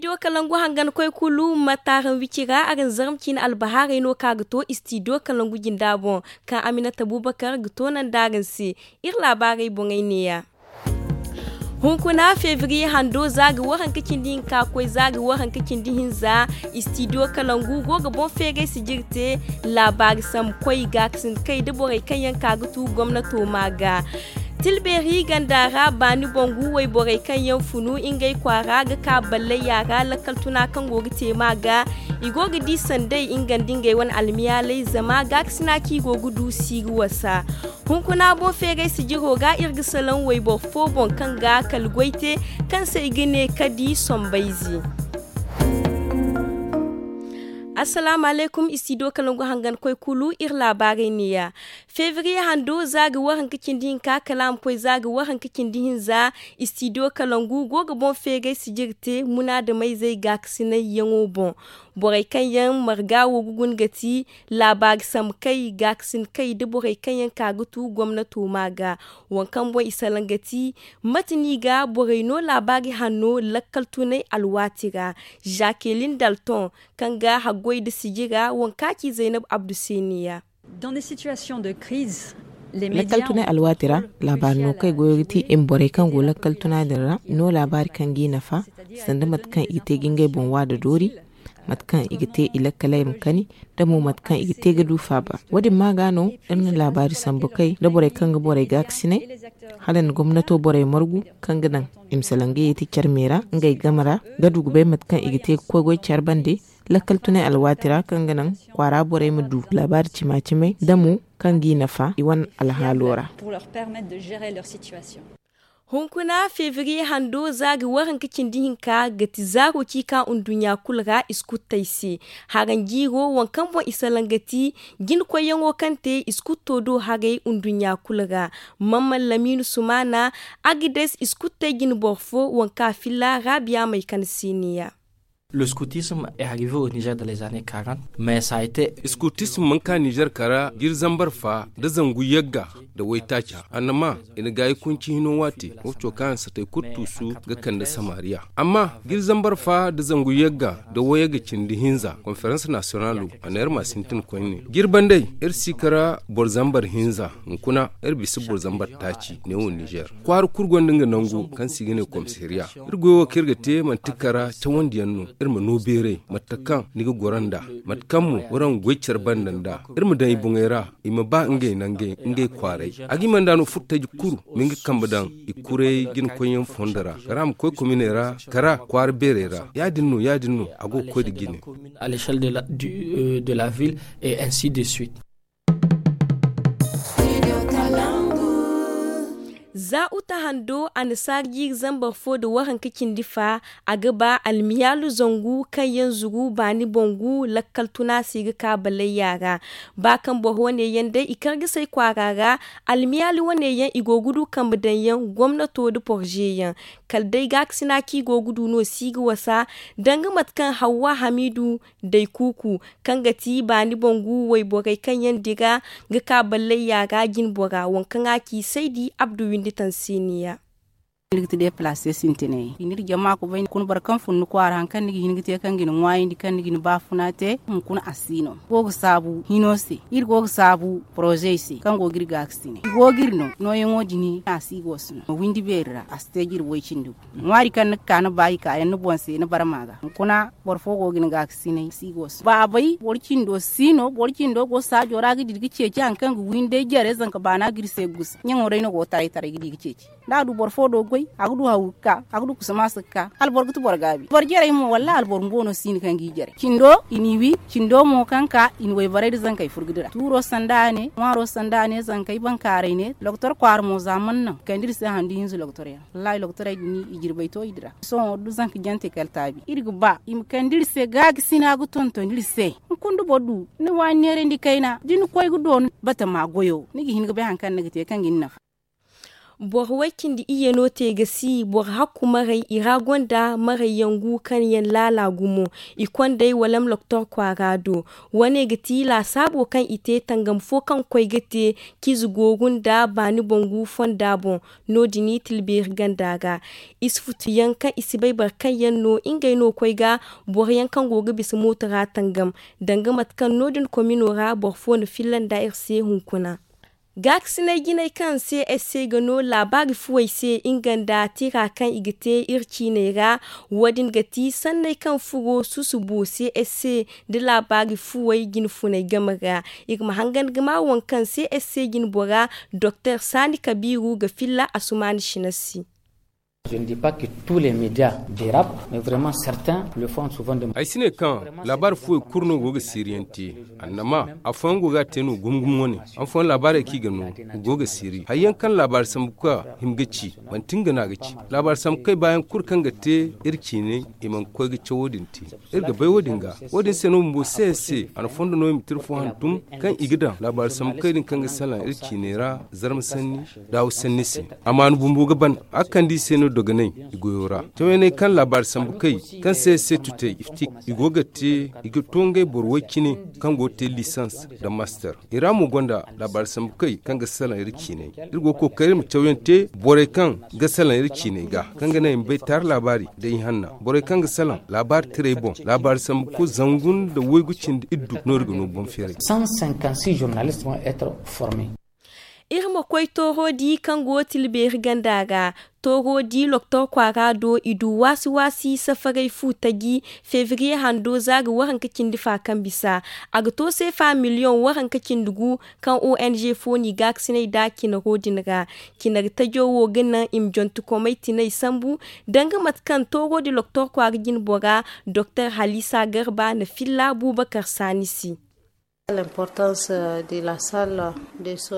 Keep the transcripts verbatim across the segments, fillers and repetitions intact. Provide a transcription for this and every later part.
Istidiyo kalangu hangan koy kulu ma taaran wici ra araŋ zarma ciine albahaarey no kaŋ a ga to istidiyo kalangu jinda boŋ, kaŋ aminata bubakar ga toonandi araŋ se. Iri laabaarey boŋey neeya. Hunkuna febriye hando za ga waranka cindi hinka koy za ga waranka cindi hinza. Istidiyo kalangu go ga boŋ feeray sijiri te laabaari sambu koy gaakasin kay nda borey kaŋ yaŋ ka ga tu gomnato ma ga. Tilbeeri ganda ra baani bangu wayborey kaŋ yaŋ funu ngey kwaara ga ka balley yaara lakkal tuna kaŋ go ga te ma ga. I go ga di sanday nga nda ngey wane almiyaaley zama gaakasina kaŋ i go ga du si ga wasa. Hunkuna boŋ feeray sijiro ga iri ga salaŋ wayboro fo boŋ kaŋ ga kala goy te, kaŋ se i ga ne kadi sombayze. Assalaamu alaykum istidiyo kalangu hangan koy kulu iri laabaarey neeya. Febriye hando za ga waranka cindi hinka kala a ma koy za ga waranka cindi hinza. Istidiyo kalangu go ga boŋ feeray sijiri te munaadamayzey gaakasinay yaŋo boŋ. Borey kaŋ yaŋ marga wo ga guna ga ti laabaari sambu kay gaakasin kay nda borey kaŋ yaŋ ka ga tu gomnato ma ga. Waŋ kaŋ boŋ i salaŋ ga ti mate no i ga borey no laabaari hanno lakkal tunay alwaati ra. Zakelin dalton kaŋ ga haggoy nda sijira waŋ kaŋ a ci zaynab abdu se neeya. Lakkal tunay alwaati ra laabaari no kaŋ i goyo ga ti i ma borey kaŋ go lakkal tuna din ra no laabaari kaŋ g'i nafa, sanda mate kaŋ i ga te ga ngey boŋ waada doori, mate kaŋ i ga te i lakkaley ma kani, nda mo mate kaŋ i ga te ga du faaba. Wo- din ma ga no iri na laabaari sambu kay nda borey kaŋ ga borey gaakasinay, hala nda gomnato borey margu kaŋ ga naŋ i ma salaŋ ga yeeti care me ra ngey game ra, ga du ga bay mate kaŋ i ga te ga koy goy care bande. Lakkal tunay alwaati ra kaŋ ga naŋ kwaara borey ma du laabaari cima-cimey nda mo kaŋ g'i nafa i wane alhaalo ra. Hunkuna febriye hando za ga waranka cindi hinka ga ti zaaro ci ka nduɲɲa kulu ra iskuttey se. Haranjiiro waŋ kaŋ boŋ i salaŋ ga ti jinakoyyaŋo kaŋ te iskutto do haray nduɲɲa kulu ra. Mamman lamiinu sumaana, agades iskuttey jine boro fo waŋ kaŋ a filla raabiya may kande se neeya. Le scoutisme est arrivé au niger dans les années quarante. Mais ça a été iskutisme man ka niger kara jiri zambar fa nda zangu yagga nda waytaaca, annama i na gaayi kunci hino waati. Wo co kaŋ a na satay kulu tuusu ga kande samariya. Amma jiri zambar fa nda zangu yagga nda wayagga cindi hinza konferans nasiyonalo a na iri ma sintin koyne jiri bandey. Iri si kara boro zambar hinza hunkuna iri bisa boro zambar taaci neewo niger. Kwaara kulu gonda nga nangu kaŋ se i ga ne komisariya. Iri goyo wo kaŋ iri ga te manti kara cawandi yaŋ no. Iri ma no beeray mate kaŋ ni ga goro nd'a, mate kaŋ mo waraŋ ga goy care banda nd'a. Iri ma daŋ i boŋey ra i ma ba ngey nangey ngey kwaaray. A ga i mana nd'a no furtaji kulu ma nga kambe daŋ i kuray jinakoyyaŋ fondo ra kara a ma koy kominey ra, kara kwaara beerey ra ya- din no ya- din no a go ga koy nda jine. À l'échelle de la ville et ainsi de suite. Za uta hando annasaara jiiri zambar fo nda waranka cindi fa, a ga ba almiyaalu zangu kaŋ yaŋ zuru baani bangu lakkal tuna se ga ka ballayya ra. Ba kaŋ boro wane yaŋ day i kar ga say kwaara ra, almiyaalu wane yaŋ i go ga du kambe daŋ yaŋ gomnato nda porze yaŋ. Kala day gaakasina kaŋ i go ga du no si ga wasa, danga mate kaŋ hawwa hamiidu day kuuku, kaŋ ga ti baani bangu wayborey kaŋ yaŋ dira ga ka ballayya ra jinbora waŋ kaŋ a ci saydi abdu windi taŋ se neeya. Ni ga ti deplace sintinay i n'iri jama ga bay hunkuna boro kaŋ fun ni kwaara hari kaŋ ni ga hin ga te kaŋ ga ni ŋwaayandi kaŋ ni ga ni baafuna te hunkuna a si no go ga saabu hino se. Iri go ga saabu porozey se kaŋ go ga iri gaakasinay i go ga iri no nooyaŋo din a si go ga si no windi beeri ra a si te ga iri way cindi gu. Ŋwaari kaŋ ni ga ka ni ba i kaayaŋ ni boŋ se ni barma ga hunkuna boro fo go ga ni gaakasinay si go ga si no baabay boro cindo si no boro cindo go saajo ra ga dira ga ceeci hari kaŋ ga wi ni day jare zanka baana ga iri se ga gusa ɲaŋo day no go ga taray taray ga di ga ceeci. Da a du boro fo do ga goy a ga du haw ga ka a ga du kusa maasa ga ka hala boro ga ti boro gaabi boro jarey mo wallaahi hala boro bumbo no si no kaŋ g'i jare cindo i n'i wi. Cindo mo kaŋ ka i na wayborey nda zankey furo ga dira tuuro sanda a ne ŋwaaro sanda a ne zankey bankaaray ne doktor kwaara mo za mana naŋ kande iri se handu hinza doktor yaŋ wallaahi doktorey din i jirbey to i dira. Sohõ da zanka jante kala taabi iri ga ba i ma kande iri se gaakasina ga tonton iri se. Hunkuna da boro du ni waani neerandi kayna da ni koy ga doonu batama goyo ni ga hin ga bay hari kaŋ ni ga te kaŋ ga ni nafa. Boro way cindi iyye no te ga si boro hakku maray i ra gonda maray yangu kaŋ yaŋ laala gumo. I kondey wala ma loktor kwaara do. Wane ga ti laasaabo kaŋ i te tangam fo kaŋ koy ga te ciize gooru nda baani bangu fonda boŋ. No- din i tilbeeri ganda ra. I si futu yaŋ kaŋ i si bay boro kaŋ yaŋ no ngey no koy ga boro yaŋ kaŋ go ga bisa mooto ra tangam. Danga mate kaŋ no- din komino ra boro fo na filla nda iri se hunkuna. Gaakasinay jinay kaŋ se ese ga no laabaari fuwey se nga nda tira kaŋ i ga te iri ciiney ra. Wo- din ga ti sanney kaŋ furo susubo se ese nda laabaari fuwey jine funay game ra. Iri ma hangan ga ma waŋ kaŋ se ese jine bora doktor saani kabiiru ga filla asumaani sina se. Ay si ne kaŋ laabaari fuwey kulu no go ga siiriyaŋ te. Annama afooyaŋ go ga a te no gumo gumo wane. Afooyaŋ laabaarey kaŋ i ga no go ga siiri hari yaŋ kaŋ laabaari sambu ka hima ga ci. Manti nga no a ga ci laabaari sambu kay baayaŋ kulu kaŋ ga te iri ciinay i mana koy ga cawo din te. Iri ga bay wo- din ga wo- din se no bumbo se se a na fondo no i ma tira fo hantum kaŋ i ga daŋ laabaari sambu kay din kaŋ ga salaŋ iri ciinay ra. Zarma sanni daawu sanni se. Amaana bumbo ga ban a ga kande i se no dogonay i goyo ra. Cawyaŋey kaŋ laabaari sambu kay kaŋ se se tutey iftik i go ga te i ga to ngey boro way cine kaŋ go ga te lisans nda master. I ra mo gonda laabaari sambu kay kaŋ ga salaŋ iri ciinay. Iri go ga kookari iri ma cawyaŋ te borey kaŋ ga salaŋ iri ciiney ga kaŋ ga naŋ i ma bay taari laabaari nda ihanna borey kaŋ ga salaŋ laabaari tiray boŋ laabaari sambu kulu zangu nda waygu cindi iddu no iri ga no boŋ feeray. Iri ma koy tooro di kaŋ go tilbeeri ganda ra. Tooro di loktor kwaara do i du waasi waasi safaray fu taji febriye hando za ga waranka cindi fa kaŋ bisa. A ga to seefa miliyoŋ waranka cindi gu kaŋ ong fo n'i gaakasinay nd'a cinaro din ra. Cinari tajo wo ga naŋ i ma jontokomey tinay sambu danga mate kaŋ tooro di loktor kwaara jinbora doktor halisa garba na filla buubakar saani se.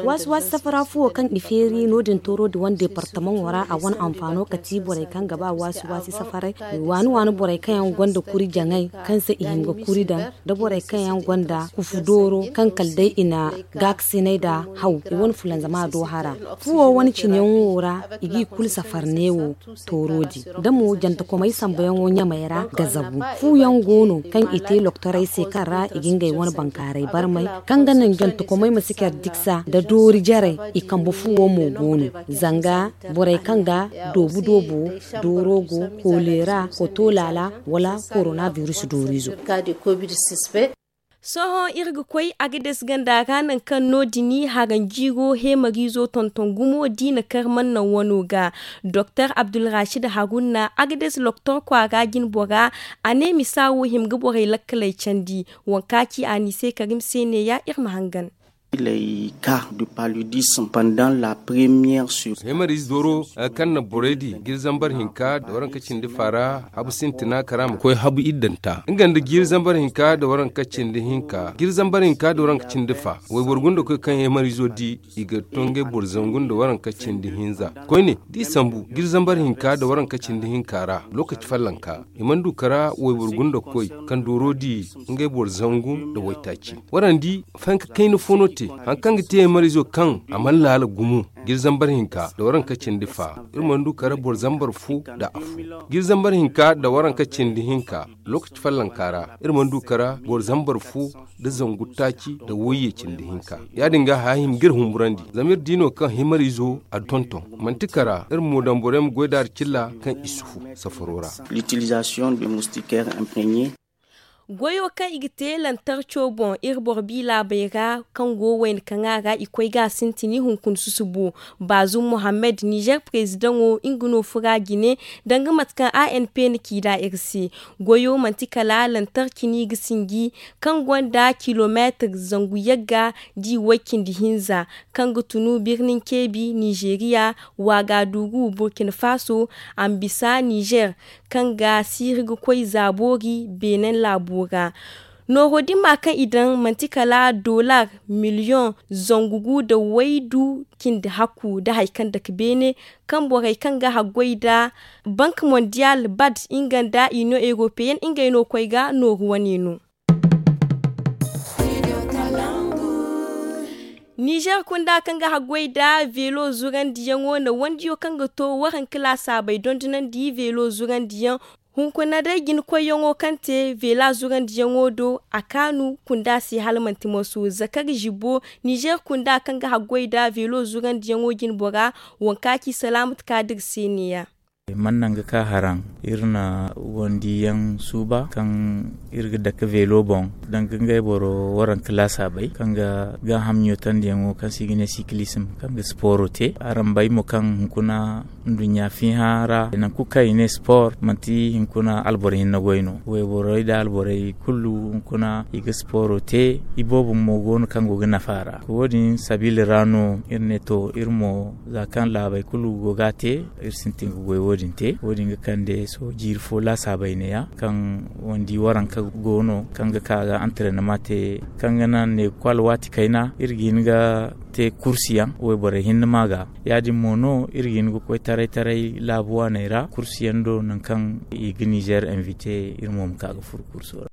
Waasi waasi safara fuwo kaŋ i feeri no- din tooro di wane deepartamaŋo ra a wane anfaano kati borey kaŋ ga ba waasi waasi safaray. Waani waani borey kaŋ yaŋ gonda kuri jaŋay kaŋ se i hin ga kuri daŋ nda borey kaŋ yaŋ gonda kufu dooro kaŋ kala day i na gaakasinay nda haw i wane fulanzama do hara. Fuwo wane cineyaŋo ra i g'i kulu safar neewo tooro di da mo jantakomey sambayaŋo ɲamey ra ga zabu. Fuyaŋ go no kaŋ i te loktorey se kaŋ ra i ga ngey wane bankaaray barmay kaŋ ga naŋ jantakomey ma si care diksa nda doori jarey. I kambe fuwo mo go no zanga borey kaŋ ga doobu doobo dooro go koleera koto laala wala korona biris doorizo. Sohõ iri ga koy agades ganda ra nangu kaŋ no- din haranjiiro heemariizo tonton gumo da i na kar mannaŋ wano ga. Doktor abdulracid haruna agades loktor kwaara jinbora a ne misa wo hima ga borey lakkaley candi. Waŋ ka ci a n'i se karim se neeya iri ma hangan. Heemariize dooro kaŋ na borey di ga iri zambar hinka nda waranka cindi fa ra habu sintina kara ma koy habu iddanta nga nda ga iri zambar hinka nda waranka cindi hinka ga iri zambar hinka nda waranka cindi fa wayboro gunda koy kaŋ heemariizo di i ga to ngey boro zangu nda waranka cindi hinza. Koyne da i sambu ga iri zambar hinka nda waranka cindi hinka ra lokaci fallanka i mana du kara wayboro gunda koy kaŋ dooro di ngey boro zangu nda waytaaci. Waraŋ di fayanka kayna fo no te hari kaŋ ga te heemariizo kaŋ a mana laala gumo ga iri zambar hinka nda waranka cindi fa iri mana du kara boro zambar fo nda afo ga iri zambar hinka nda waranka cindi hinka. Lokaci fallanka ra iri mana du kara boro zambar fo nda zangu taaci nda wayye cindi hinka. Ya- din ga haya hima ga iri humburandi zama iri di no kaŋ heemariizo a tonton manti kara iri mo daŋ borey ma goy da hari cilla kaŋ i si fu safaro ra. Goyo kaŋ i ga te lantarco boŋ iri boro bi laabey ra kaŋ go wayna kaŋa ra i koy ga a sintin hunkuna susubo. Baazum mohammed nizer perezidaŋo nga no fura jine danga mate kaŋ a n p na ci nd'a iri se. Goyo manti kala lantarci no i ga sinji kaŋ gonda kilomeetir zangu yagga da i way cindi hinza kaŋ ga tunu birnin ceebi nizeeriya waagadugu burkina faso, ambisa nizer kaŋ ga siiri ga koy zaaboori beenen laabo ra. Nooro din ma kaŋ i daŋ manti kala dolar miliyoŋ zangu gu nda waydu cindi hakku nda hari kaŋ dake beene kaŋ borey kaŋ ga haggoy nda bank mondial bad nga nda inion europeyen ngey no koy ga nooru wane no. Nizer kunda kaŋ ga haggoy nda veelo zurandiyaŋo na wandiyo kaŋ ga to waranka laasaabey dondonandi veelo zurandiyaŋ. Hunkuna day jinakoyyaŋo kaŋ te veela zurandiyaŋo do a kaanu kunda se hala manti moso zakari zibbo. Nizer kunda kaŋ ga haggoy nda veelo zurandiyaŋo jine bora waŋ ka ci salaamatu kaadir se neeya. Man naŋ ga ka haraŋ iri na wandiyaŋ suuba kaŋ iri ga dake veelo boŋ danga ngey boro waranka laasaabey kaŋ ga gaaham ɲootandiyaŋo kaŋ se i ga ne sikilism kaŋ ga sipooro te. Araŋ bay mo kaŋ hunkuna nduɲɲa fiiha ra nangu kaŋ i ne sport manti hinkuna alboro hinne goy no. Wayborey nda alborey kulu hunkuna i ga sporo te. Iboobo mo go no kaŋ go ga nafa a ra. Wo- din sabiila ra no iri ne to iri mo za kaŋ laabey kulu go ga a te, iri sintin ga goy wo- din te. Wo- din ga kande sohõ jiiri fo laasaabey neeya kaŋ wandi waranka go no kaŋ ga ka ga antareenama te kaŋ ga naŋ ne kulu alwaati kayna iri ga hin ga te kursiyaŋ wayborey hinne ma ga. Ya- din mo no iri ga hin ga koy taray taray laabu waaney ra kursiyaŋ do nangu kaŋ i ga nizer invite iri mo ma ka ga furu kurso ra.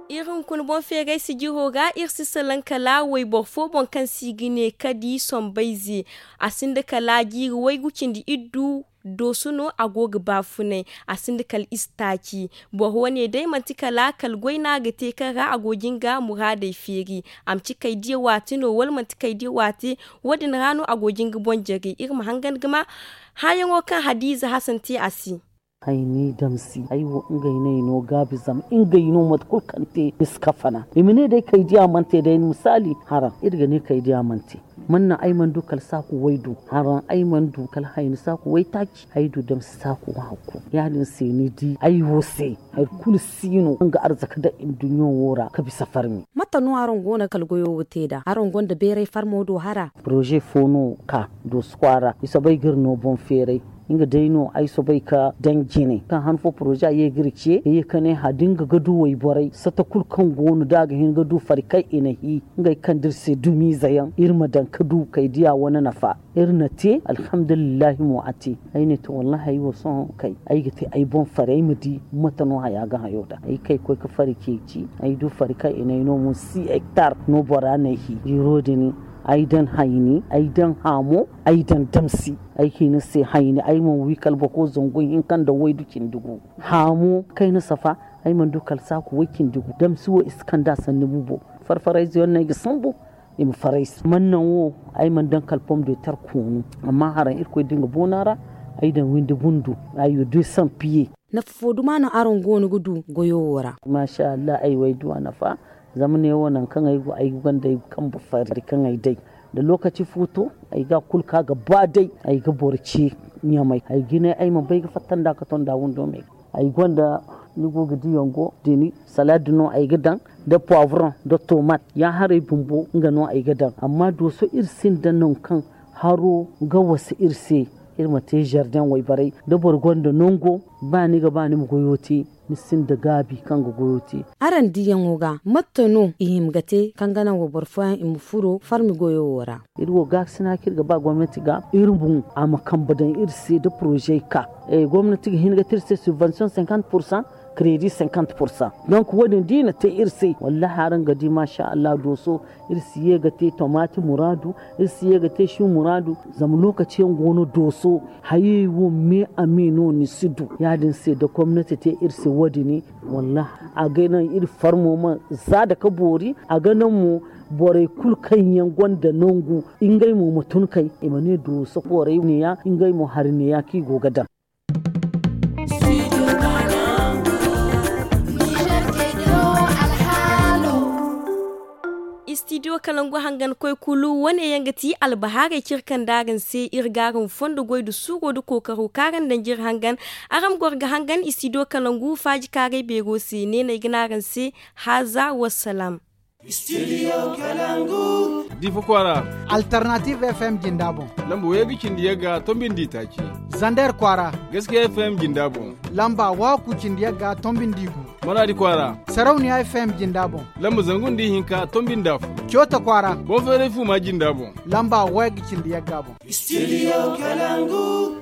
Iri hunkuna boŋ feeray sijiro ga iri si salaŋ kala wayboro fo boŋ kaŋ se i ga ne kadi sombayze. A sinda kala jiiri waygu cindi iddu dooso no a go ga baafunay. A sinda kala istaaci. Boro wane day manti kala kala goy no a ga te kaŋ ra a go ga nga muraadey feeri. A ma ci kaydiya waati no wala manti kaydiya waati. Wo- din ra no a go ga nga boŋ jare iri ma hangan ga ma hããyaŋo kaŋ hadiiza hasan te a se. Ay ni damsi ay wo ngey no ay no gaabi zama ngey no mate kulu kaŋ te ni si kafana i ma ne day kaydiya mana te day ni misaali haraŋ iri ga ne kaydiya mana te. Man naŋ ay mana du kala saaku way du haraŋ ay mana du kala hayni saaku way taaci ay du damsi saaku hakku. Ya- din se ni di ay wo se hari kulu si no kaŋ ga arzaka daŋ nduɲɲo wo ra ka bisa farmi. Mate no araŋ go no kala goyo wo te nd'a araŋ gonda beeray farmo do hara? Poroze fo no ka dooso kwaara i soobay ga iri no boŋ feeray. Nga day no ay soobay ka daŋ jine kaŋ han fo poroze a ye ga iri ce ka ye ka ne hã da nga ga du wayborey sata kulu kaŋ go no da a ga hin ga du fari kaŋ i na hi ngey kaŋ da iri se dumiize yaŋ iri ma daŋ ka du kay diya wane nafa. Iri na te alhamdulillahi mo a te. Ay ne to wallahi ay wo sohõ kay ay ga te ay boŋ fari ay ma di mate no haya ga hayo nd'a ay kay koy ga fari ceeci. Ay du fari kaŋ i na ay no mo si hektar no bora na ay hi jiiro din. Ay daŋ hayni ay daŋ haamo ay daŋ damsi. Ay ga hin ni se hayni ay mana wi kala boko zangu hinka nda waydu cindi gu. Haamo kayna safa ay mana du kala saaku way cindi gu damsi wo i si kand'a sanni bubo. Farfarayze yaŋ no ay ga sambu i ma faray se man naŋ wo. Ay mana daŋ kala pom de tar koonu amma haraŋ irkoy da nga boona ra. Ay daŋ windi bundu ay wo de sampiye. Nafa fo duma no araŋ go no ga du goyo wo ra? Maasa allah ay wo ay du a nafa. Zama ne wo nangu kaŋ ay go ay gonda ay kambe fari kaŋ ay day da lokaci fo to ay ga a kulu ka ga ba day. Ay ga boro ce ɲamay ay ga ne ay ma bay ga fatta nd'a ka to nd'a windo me. Ay gonda ni go ga di yongo dini salad no ay ga daŋ nda poivron nda tomat ya haray bumbo nga no ay ga daŋ amma dooso iri sinda nangu kaŋ haro ga wasa iri se. Iri ma te zardeŋ wayborey da boro gonda nango ba ni ga ba ni ma goyo te ni sinda gaabi kaŋ ga goyo te. Araŋ diyaŋo ga mate no i hima ga te kaŋ ga naŋ wayboro fooyaŋ i ma furo farmi goyo wo ra? Iri wo gaakasina kaŋ iri ga ba gomnati ga iri boŋ a ma kambe daŋ iri se da porozey ka. Gomnati ga hin ga te iri se subvention cinquante pourcent. Kredi cinquante pourcent. Donk wo- din da i na te iri se wallahi araŋ ga di maasa allah dooso. Iri si ye ga te tomaati muraadu. Iri si ye ga te si muraadu. Zama lookaci yaŋ go no dooso hayey wo me a me no ni si du ya- din se da gomnati te iri se wo- din wallahi a ga naŋ iri farmo ma za da ka boori. A ga naŋ mo borey kulu kaŋ yaŋ gonda nangu ngey mo ma tun kay i ma ne dooso borey neeya ngey mo hari neeya kaŋ i go ga daŋ. Istidiyo kalangu hangan koy kulu wane yaŋ ga ti albahaarey kaŋ iri kande araŋ se iri ga araŋ fondo goy nda suuro nda kookaro kaŋ araŋ daŋ ga iri hangan. Araŋ ma goro ga hangan istidiyo kalangu faaji kaaray beero se ne no ay ga ne araŋ se. Haaza wassalaam. Difa kwaara. Alternative fm jinda boŋ. Lamba waygu cindi yagga tombindi taaci. Zander kwaara. Gaskiya fm jinda boŋ. Lamba waaku cindi yagga tombindi gu. Maraadi kwaara. Sarauniya fm jinda boŋ. Lamba zangu nda ihinka tombindi afo. Coota kwaara. Boŋ feeray fuuma jinda boŋ. Lamba waygu cindi yagga boŋ. Studio Kalangu.